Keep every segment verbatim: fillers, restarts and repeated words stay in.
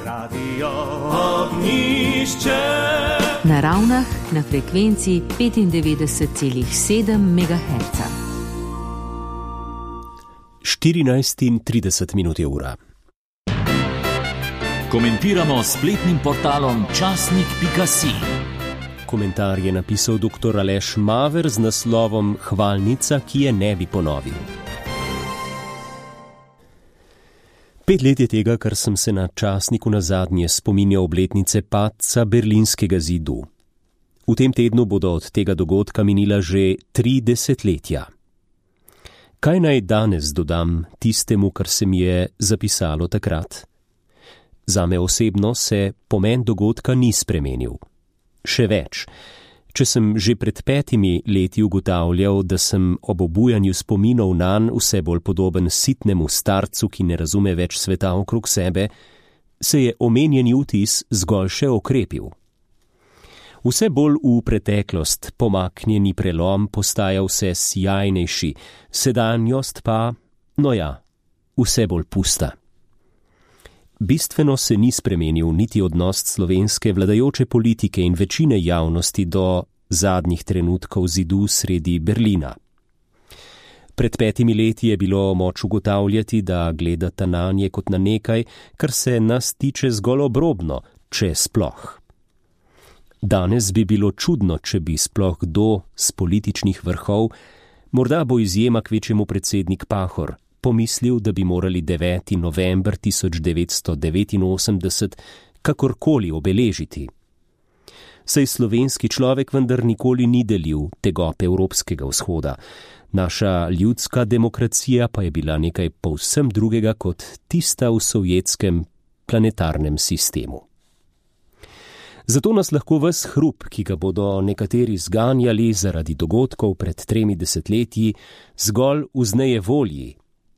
Radio Ognjišče. Na Ravnah na frekvenci petindevetdeset celih sedem megaherca. štirinajst in trideset minut je ura. Komentiramo spletnim portalom časnik pika si. Komentar je napisal doktor Aleš Maver z naslovom Hvalnica, ki je ne bi ponovil. Pet let je tega, kar sem se na časniku nazadnje spominjal obletnice padca Berlinskega zidu. V tem tednu bodo od tega dogodka minila že tri desetletja. Kaj naj danes dodam tistemu, kar se mi je zapisalo takrat? Zame osebno se pomen dogodka ni spremenil. Še več, če sem že pred petimi leti ugotavljal, da sem ob obujanju spominov nanj vse bolj podoben sitnemu starcu, ki ne razume več sveta okrog sebe, se je omenjeni vtis zgolj še okrepil. Vse bolj v preteklost pomaknjeni prelom postaja vse sjajnejši, sedanjost pa, no ja, vse bolj pusta. Bistveno se ni spremenil niti odnos slovenske vladajoče politike in večine javnosti do zadnjih trenutkov zidu sredi Berlina. Pred petimi leti je bilo moč ugotavljati, da gledata nanje kot na nekaj, kar se nas tiče zgolj obrobno, če sploh. Danes bi bilo čudno, če bi sploh kdo z političnih vrhov, morda bo izjema kvečjemu predsednik Pahor, pomislil, da bi morali deveti november tisoč devetsto devetinosemdeset kakorkoli obeležiti. Saj slovenski človek vendar nikoli ni delil tegob evropskega vzhoda. Naša ljudska demokracija pa je bila nekaj povsem drugega kot tista v sovjetskem planetarnem sistemu. Zato nas lahko ves hrup, ki ga bodo nekateri zganjali zaradi dogodkov pred tremi desetletji, zgolj vzneje volji,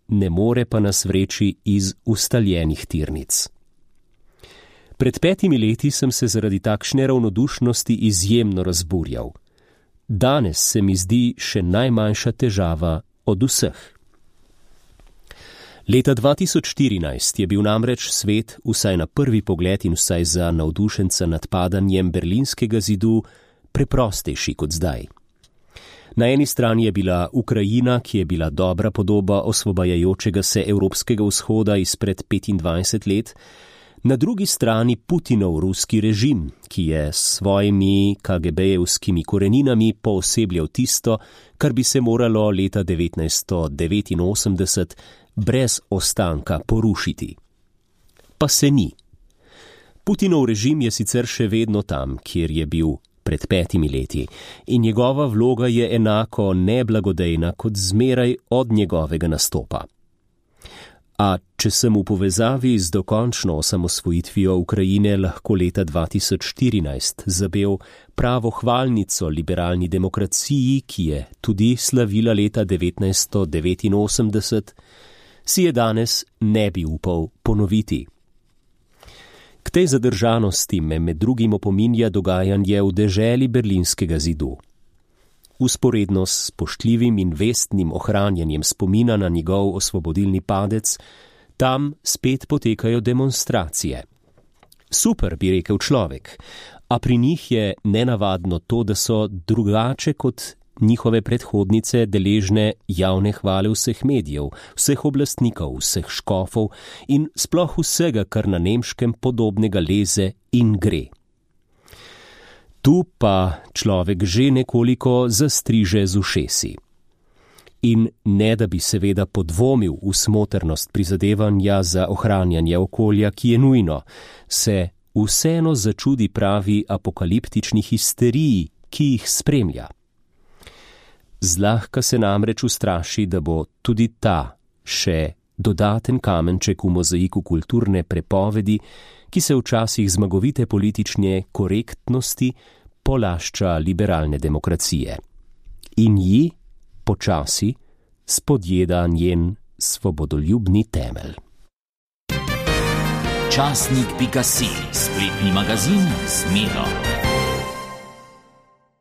ne more pa nas vreči iz ustaljenih tirnic. Pred petimi leti sem se zaradi takšne ravnodušnosti izjemno razburjal. Danes se mi zdi še najmanjša težava od vseh. Leta dva tisoč štirinajst je bil namreč svet, vsaj na prvi pogled in vsaj za navdušenca nad padanjem Berlinskega zidu, preprostejši kot zdaj. Na eni strani je bila Ukrajina, ki je bila dobra podoba osvobajajočega se evropskega vzhoda izpred petindvajset let, na drugi strani Putinov ruski režim, ki je s svojimi ka ge be-jevskimi koreninami poosebljal tisto, kar bi se moralo leta devetnajststo devetinosemdeset brez ostanka porušiti. Pa se ni. Putinov režim je sicer še vedno tam, kjer je bil pred petimi leti, in njegova vloga je enako neblagodejna kot zmeraj od njegovega nastopa. A če sem v povezavi z dokončno osamosvojitvijo Ukrajine lahko leta dva tisoč štirinajst zabel pravo hvalnico liberalni demokraciji, ki je tudi slavila leta devetnajststo devetinosemdeset, si je danes ne bi upal ponoviti. K tej zadržanosti me med drugim opominja dogajanje v deželi Berlinskega zidu. Usporedno s spoštljivim in vestnim ohranjanjem spomina na njegov osvobodilni padec, tam spet potekajo demonstracije. Super, bi rekel človek, a pri njih je nenavadno to, da so drugače kot njihove predhodnice deležne javne hvale vseh medijev, vseh oblastnikov, vseh škofov in sploh vsega, kar na nemškem podobnega leze in gre. Tu pa človek že nekoliko zastriže z ušesi. In ne da bi seveda podvomil v smotrnost prizadevanja za ohranjanje okolja, ki je nujno, se vseeno začudi pravi apokaliptični histeriji, ki jih spremlja. Zlahka se namreč ustraši, da bo tudi ta še dodaten kamenček v mozaiku kulturne prepovedi, ki se včasih zmagovite politične korektnosti polašča liberalne demokracije. In ji počasi spodjeda njen svobodoljubni temelj. časnik pika si, spletni magazin z Miro.